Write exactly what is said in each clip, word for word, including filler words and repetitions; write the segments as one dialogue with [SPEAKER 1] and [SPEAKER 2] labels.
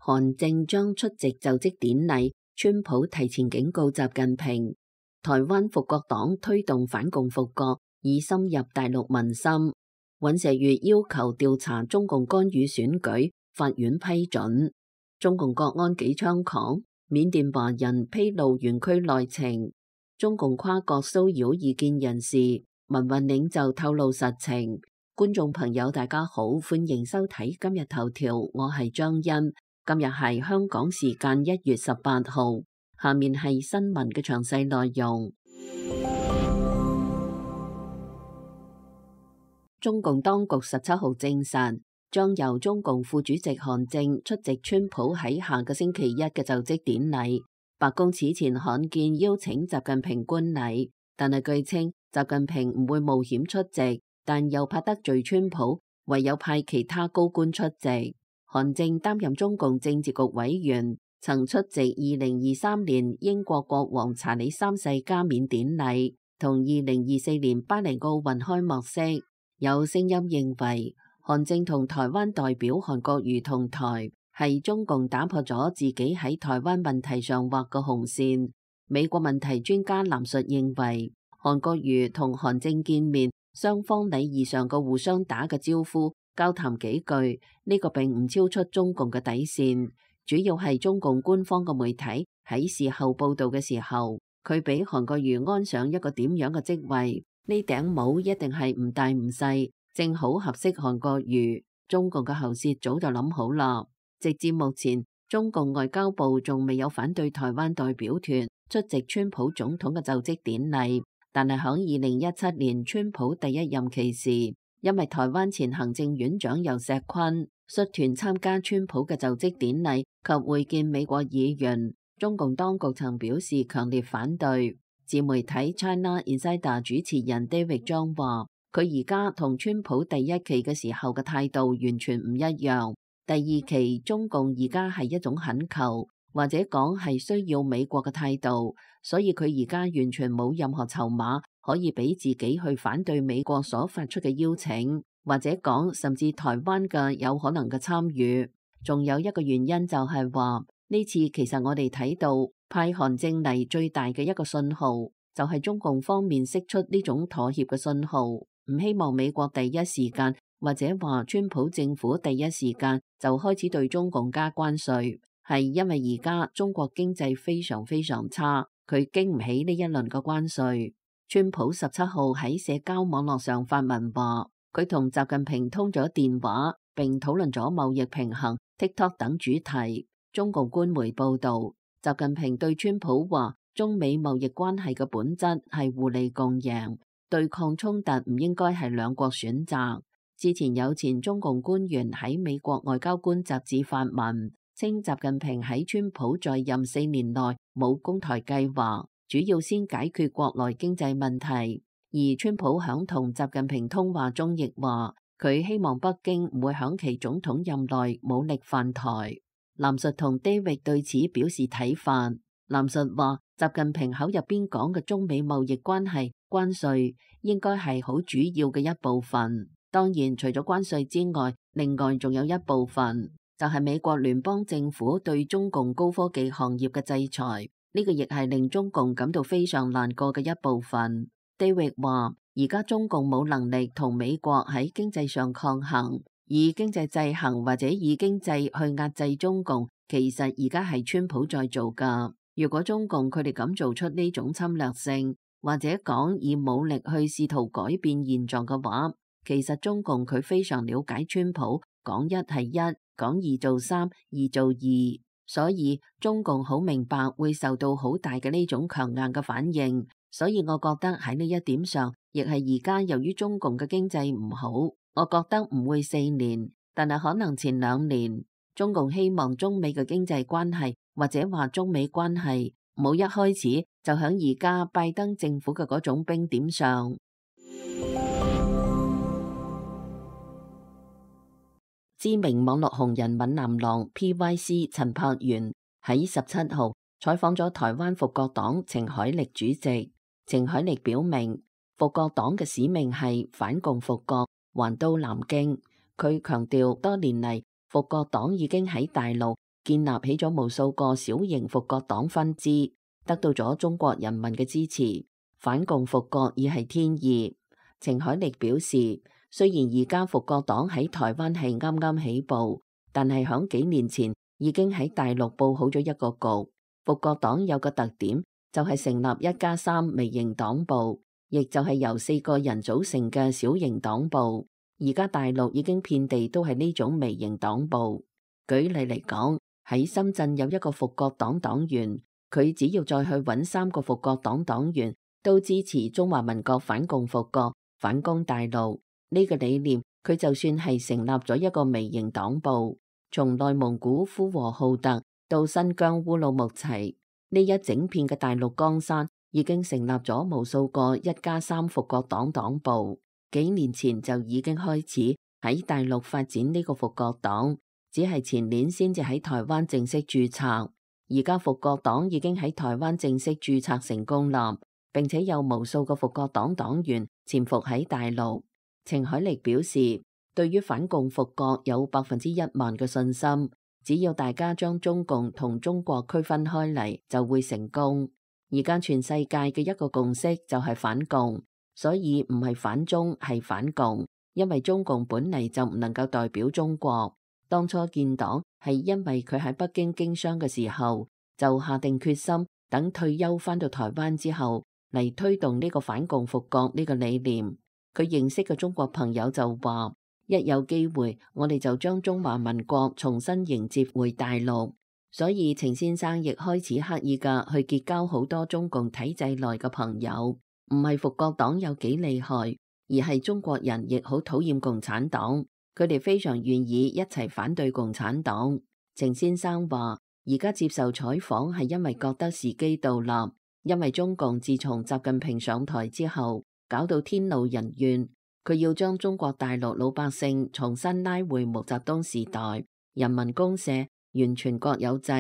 [SPEAKER 1] 韓正將出席就職典禮，川普提前警告習近平。台灣復國黨推動反共復國，以深入大陸民心。尹錫悅要求調查中共干預選舉，法院批准。中共國安幾猖狂，緬甸華人披露園區內情。中共跨國騷擾異見人士，民運領袖透露實情。觀眾朋友大家好，歡迎收睇今日頭條，我係張欣。今日係香港時間一月十八號，下面係新聞嘅詳細內容。中共當局十七號證實，將由中共副主席韓正出席川普喺下個星期一嘅就職典禮。白宮此前罕見邀請習近平觀禮，但係據稱習近平唔會冒險出席，但又怕得罪川普，唯有派其他高官出席。韓正擔任中共政治局委員，曾出席二零二三年英國國王查理三世加冕典禮同二零二四年巴黎奧運開幕式。有聲音認為，韓正同台灣代表韓國瑜同台，係中共打破咗自己喺台灣問題上畫嘅紅線。美國問題專家藍述認為，韓國瑜同韓正見面，雙方禮儀上嘅互相打嘅招呼，交談幾句，呢、這個並唔超出中共嘅底線。主要係中共官方嘅媒體喺事後報道嘅時候，佢俾韓國瑜安上一個點樣嘅職位？呢頂帽一定係唔大唔細，正好合適韓國瑜。中共嘅喉舌早就諗好啦。直至目前，中共外交部仲未有反對台灣代表團出席川普總統嘅就職典禮。但係響二零一七年川普第一任期時，因為台灣前行政院長游錫堃率團參加川普嘅就職典禮及會見美國議員，中共當局曾表示強烈反對。自媒體 China Insider 主持人 David 張話，佢而家同川普第一期嘅時候嘅態度完全唔一樣。第二期中共而家係一種懇求，或者講係需要美國嘅態度，所以佢而家完全冇任何籌碼可以俾自己去反對美國所發出嘅邀請，或者講甚至台灣嘅有可能嘅參與。仲有一個原因就係話，呢次其實我哋睇到派韓正嚟最大嘅一個信號，就係中共方面釋出呢種妥協嘅信號，唔希望美國第一時間或者話川普政府第一時間就開始對中共加關稅，係因為而家中國經濟非常非常差，佢經唔起呢一輪嘅關稅。川普十七號喺社交網絡上發文話，佢同習近平通咗電話，並討論咗貿易平衡、TikTok 等主題。中共官媒報道，習近平對川普話，中美貿易關係嘅本質係互利共贏，對抗衝突唔應該係兩國選擇。之前有前中共官員喺美國外交官雜誌發文，稱習近平喺川普在任四年內冇攻台計劃，主要先解決國內經濟問題。而川普響同習近平通話中亦話，佢希望北京唔會響其總統任內武力犯台。藍述同 David 對此表示睇法。藍述話，習近平口入邊講嘅中美貿易關係關稅應該係好主要嘅一部分。當然，除咗關稅之外，另外仲有一部分就係美國聯邦政府對中共高科技行業嘅制裁。呢個亦係令中共感到非常難過嘅一部分。David 話，而家中共冇能力同美國喺經濟上抗衡。以經濟制衡或者以經濟去壓制中共，其實而家係川普在做㗎。如果中共佢哋敢做出呢種侵略性，或者講以武力去試圖改變現狀嘅話，其實中共佢非常了解川普，講一係一，講二做三，二做二，所以中共好明白會受到好大嘅呢種強硬嘅反應。所以我覺得喺呢一點上，亦係而家由於中共嘅經濟唔好。我覺得唔會四年，但係可能前兩年，中共希望中美嘅經濟關係或者話中美關係冇一開始就響而家拜登政府嘅嗰種冰點上。知名網絡紅人閩南郎 P Y C 陳柏元喺十七號採訪咗台灣復國黨程海力主席。程海力表明，復國黨嘅使命係反共復國，還都南京。佢強調多年嚟，復國黨已經喺大陸建立起咗無數個小型復國黨分支，得到咗中國人民嘅支持。反共復國已係天意。程海力表示，雖然而家復國黨喺台灣係啱啱起步，但係響幾年前已經喺大陸佈好咗一個局。復國黨有個特點，就係成立一加三微型黨部，亦就係由四個人組成嘅小型黨部。而家大陸已經遍地都係呢種微型黨部。舉例嚟講，喺深圳有一個復國黨黨員，佢只要再去揾三個復國黨黨員，都支持中華民國反共復國、反攻大陸呢個理念，佢就算係成立咗一個微型黨部。從內蒙古呼和浩特到新疆烏魯木齊，呢一整片嘅大陸江山已經成立咗無數個一加三復國黨黨部。幾年前就已經開始喺大陸發展呢個復國黨，只係前年先至喺台灣正式註冊。而家復國黨已經喺台灣正式註冊成功啦，並且有無數個復國黨黨員潛伏喺大陸。程海力表示，對於反共復國有百分之一萬嘅信心，只要大家將中共同中國區分開嚟，就會成功。而家全世界嘅一個共識就係反共。所以唔係反中，係反共，因為中共本嚟就唔能夠代表中國。當初建黨係因為佢喺北京經商嘅時候，就下定決心等退休返到台灣之後嚟推動呢個反共復國呢個理念。佢認識嘅中國朋友就話，一有機會我哋就將中華民國重新迎接回大陸。所以程先生亦開始刻意嘅去結交好多中共體制內嘅朋友。唔係復國黨有幾厲害，而係中國人亦好討厭共產黨，佢哋非常願意一齊反對共產黨。程先生話，而家接受採訪係因為覺得時機到啦，因為中共自從習近平上台之後，搞到天怒人怨，佢要將中國大陸老百姓重新拉回毛澤東時代，人民公社完全國有制，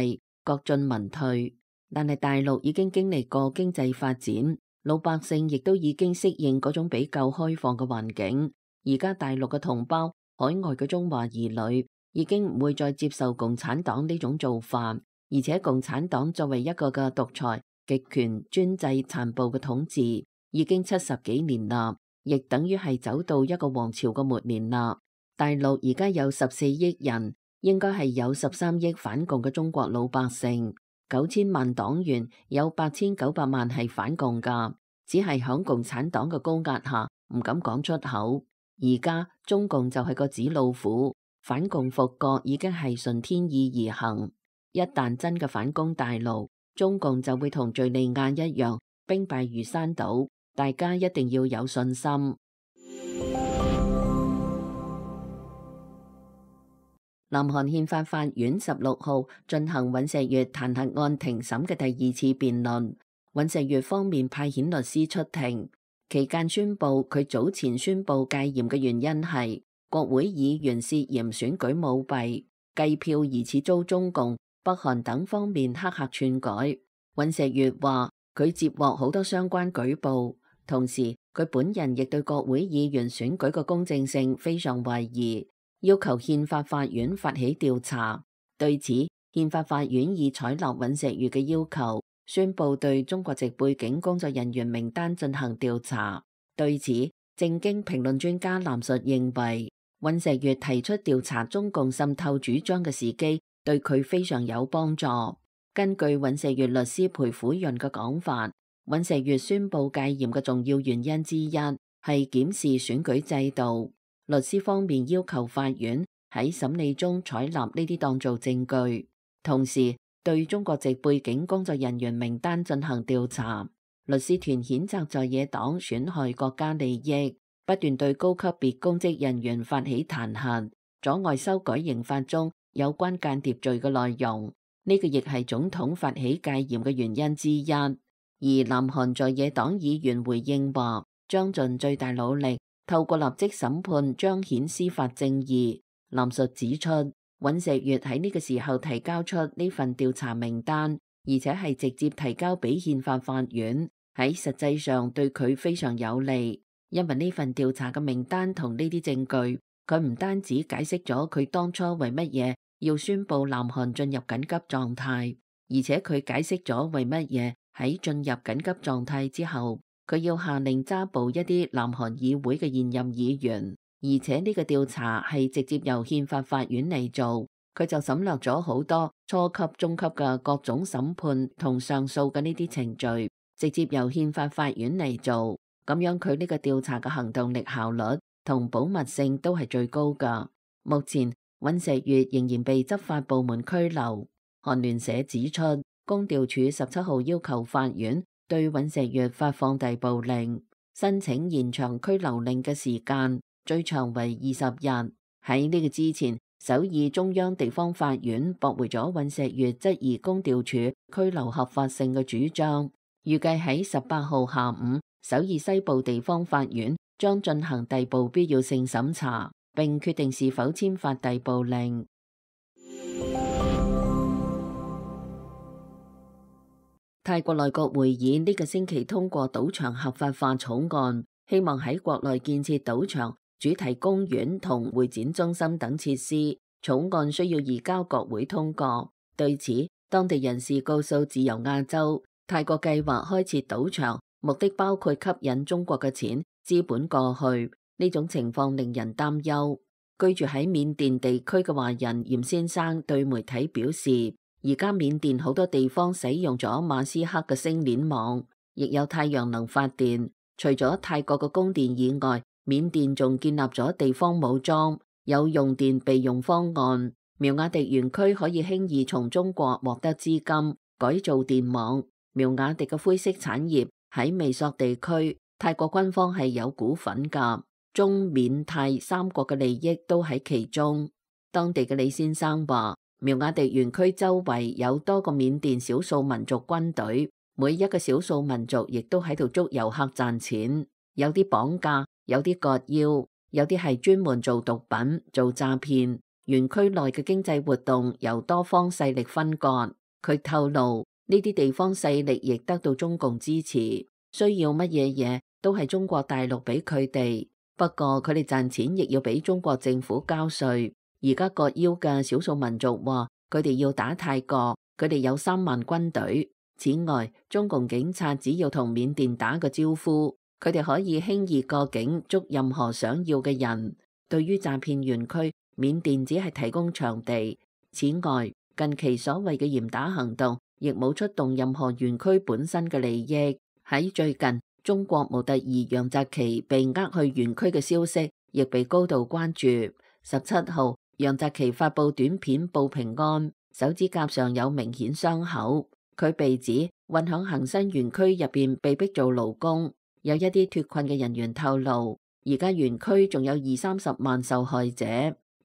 [SPEAKER 1] 國進民退。但係大陸已經經歷過經濟發展，老百姓亦都已經適應嗰種比較開放嘅環境。而家大陸嘅同胞、海外嘅中華兒女已經唔會再接受共產黨呢種做法，而且共產黨作為一個嘅獨裁、極權、專制、殘暴嘅統治，已經七十幾年啦，亦等於係走到一個王朝嘅末年啦。大陸而家有十四億人，應該係有十三億反共嘅中國老百姓。九千萬黨員，有八千九百萬係反共噶，只係響共產黨嘅高壓下唔敢講出口。而家中共就係個紙老虎，反共復國已經係順天意而行。一旦真嘅反攻大陸，中共就會同敘利亞一樣兵敗如山倒，大家一定要有信心。南韓憲法法院十六號進行尹錫悅彈劾案庭審嘅第二次辯論，尹錫悅方面派遣律師出庭，期間宣布佢早前宣布戒嚴嘅原因係國會議員涉嫌選舉舞弊、計票疑似遭中共、北韓等方面黑客篡改。尹錫悅話佢接獲好多相關舉報，同時佢本人亦對國會議員選舉嘅公正性非常懷疑，要求憲法法院發起調查。對此，憲法法院已採納尹錫悅嘅要求，宣布對中國籍背景工作人員名單進行調查。對此，正經評論專家藍述認為，尹錫悅提出調查中共滲透主張嘅時機，對佢非常有幫助。根據尹錫悅律師裴虎潤嘅講法，尹錫悅宣布戒嚴嘅重要原因之一係檢視選舉制度。律師方面要求法院喺審理中採納呢啲當做證據，同時對中國籍背景工作人員名單進行調查。律師團譴責在野黨損害國家利益，不斷對高級別公職人員發起彈劾，阻礙修改刑法中有關間諜罪嘅內容。呢個亦係總統發起戒嚴嘅原因之一。而南韓在野黨議員回應話，將盡最大努力透過立即審判彰顯司法正義。藍述指出，尹錫悅喺呢個時候提交出呢份調查名單，而且係直接提交俾憲法法院，喺實際上對佢非常有利，因為呢份調查嘅名單同呢啲證據，佢唔單止解釋咗佢當初為乜嘢要宣布南韓進入緊急狀態，而且佢解釋咗為乜嘢喺進入緊急狀態之後，佢要下令抓捕一啲南韓議會嘅現任議員，而且呢個調查係直接由憲法法院嚟做，佢就省略咗好多初級、中級嘅各種審判同上訴嘅呢啲程序，直接由憲法法院嚟做，咁樣佢呢個調查嘅行動力、效率同保密性都係最高㗎。目前尹錫悅仍然被執法部門拘留。韓聯社指出，公調處十七號要求法院對尹錫悅發放逮捕令，申請延長拘留令嘅時間，最長為二十日。喺呢個之前，首爾中央地方法院駁回咗尹錫悅質疑公調處拘留合法性嘅主張，預計喺十八號下午，首爾西部地方法院將進行逮捕必要性審查，並決定是否簽發逮捕令。泰國內閣會議呢個星期通過賭場合法化草案，希望喺國內建設賭場、主題公園同會展中心等設施。草案需要移交國會通過。對此，當地人士告訴自由亞洲，泰國計劃開設賭場，目的包括吸引中國嘅錢、資本過去。呢種情況令人擔憂。居住喺緬甸地區嘅華人嚴先生對媒體表示，而家緬甸好多地方使用咗馬斯克嘅星鏈網，亦有太陽能發電。除咗泰國嘅供電以外，緬甸仲建立咗地方武裝，有用電備用方案。苗亞迪園區可以輕易從中國獲得資金，改造電網。苗亞迪嘅灰色產業喺美索地區，泰國軍方係有股份㗎。中緬泰三國嘅利益都喺其中。當地嘅李先生話，苗亞迪園區周圍有多個緬甸少數民族軍隊，每一個少數民族亦都喺度捉遊客賺錢，有啲綁架，有啲割腰，有啲係專門做毒品、做詐騙。園區內嘅經濟活動由多方勢力分割。佢透露，呢啲地方勢力亦得到中共支持，需要乜嘢嘢都係中國大陸俾佢哋。不過佢哋賺錢亦要俾中國政府交稅。而家割腰嘅少數民族話，佢哋要打泰國，佢哋有三萬軍隊。此外，中共警察只要同緬甸打個招呼，佢哋可以輕易過境捉任何想要嘅人。對於詐騙園區，緬甸只係提供場地。此外，近期所謂嘅嚴打行動亦冇出動任何園區本身嘅利益。喺最近，中國模特兒楊澤奇被呃去園區嘅消息亦被高度關注。十七號，楊澤奇發布短片報平安，手指甲上有明顯傷口。佢被指混響恒生園區入邊被逼做勞工。有一啲脫困嘅人員透露，而家園區仲有二三十萬受害者，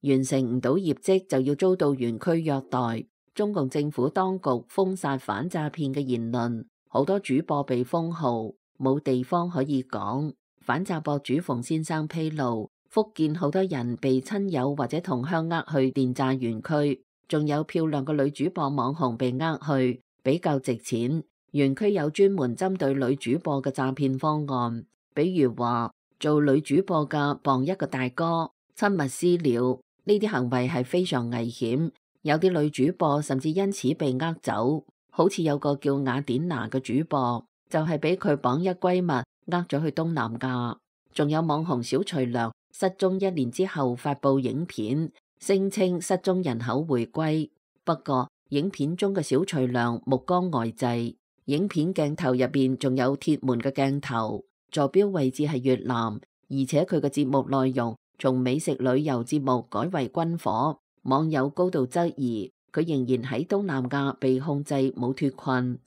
[SPEAKER 1] 完成唔到業績就要遭到園區虐待。中共政府當局封殺反詐騙嘅言論，好多主播被封號，冇地方可以講。反詐博主馮先生披露，福建好多人被親友或者同鄉呃去電詐園區，仲有漂亮嘅女主播網紅被呃去，比較值錢。園區有專門針對女主播嘅詐騙方案，比如話做女主播嘅傍一個大哥，親密私了，呢啲行為係非常危險。有啲女主播甚至因此被呃走，好似有個叫雅典娜嘅主播，就係俾佢綁一閨蜜呃咗去東南亞。仲有網紅小徐良失蹤一年之後發布影片，聲稱失蹤人口回歸。不過影片中嘅小徐良目光呆滯，影片鏡頭入邊仲有鐵門嘅鏡頭，坐標位置係越南，而且佢嘅節目內容從美食旅遊節目改為軍火。網友高度質疑佢仍然喺東南亞被控制，冇脫困。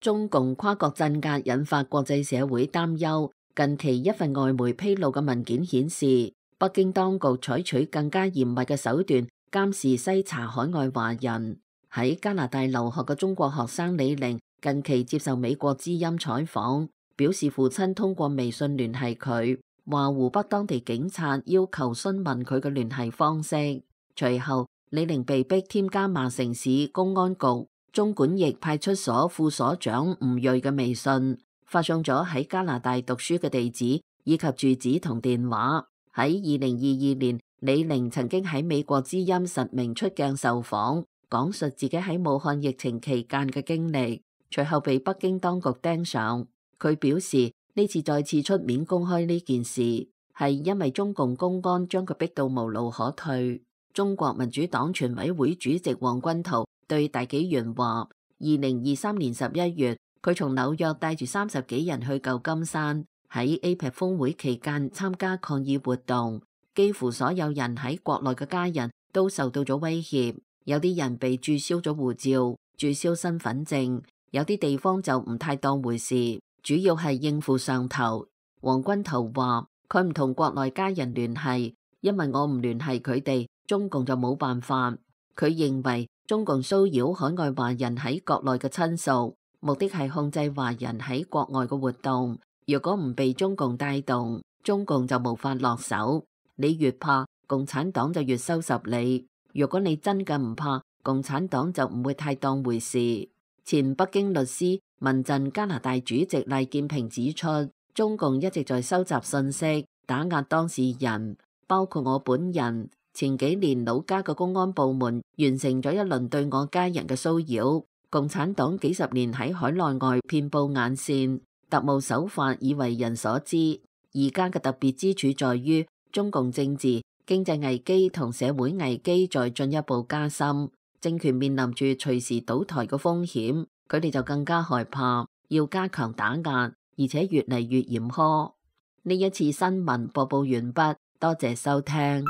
[SPEAKER 1] 中共跨國鎮壓引發國際社會擔憂。近期一份外媒披露嘅文件顯示，北京當局採取更加嚴密嘅手段監視篩查海外華人。喺加拿大留學嘅中國學生李玲近期接受美國之音採訪，表示父親通過微信聯繫佢，話湖北當地警察要求詢問佢嘅聯繫方式。隨後，李玲被逼添加麻城市公安局中管驛派出所副所長吳瑞嘅微信，發送咗喺加拿大讀書嘅地址以及住址同電話。喺二零二二年，李寧曾經喺美國之音實名出鏡受訪，講述自己喺武漢疫情期間嘅經歷，隨後被北京當局盯上。佢表示呢次再次出面公開呢件事，係因為中共公安將佢逼到無路可退。中國民主黨全委會主席王軍濤對大紀元話：二零二三年十一月，佢從紐約帶住三十幾人去舊金山。喺 A P E C 峰會期間參加抗議活動，幾乎所有人喺國內嘅家人都受到咗威脅，有啲人被註銷咗護照、註銷身份證，有啲地方就唔太當回事，主要係應付上頭。王軍濤話：佢唔同國內家人聯繫，因為我唔聯繫佢哋，中共就冇辦法。佢認為中共騷擾海外華人喺國內嘅親屬，目的係控制華人喺國外嘅活動。如果唔被中共帶動，中共就無法落手。你越怕，共產黨就越收拾你。如果你真嘅唔怕，共產黨就唔會太當回事。前北京律師、民陣加拿大主席賴建平指出，中共一直在收集信息，打壓當事人，包括我本人。前幾年老家嘅公安部門完成咗一輪對我家人嘅騷擾。共產黨幾十年喺海內外遍佈眼線。特務手法已為人所知，而家嘅特別之處在於中共政治、經濟危機同社會危機在進一步加深，政權面臨住隨時倒台嘅風險，佢哋就更加害怕，要加強打壓，而且越嚟越嚴苛。呢一次新聞播報完畢，多謝收聽。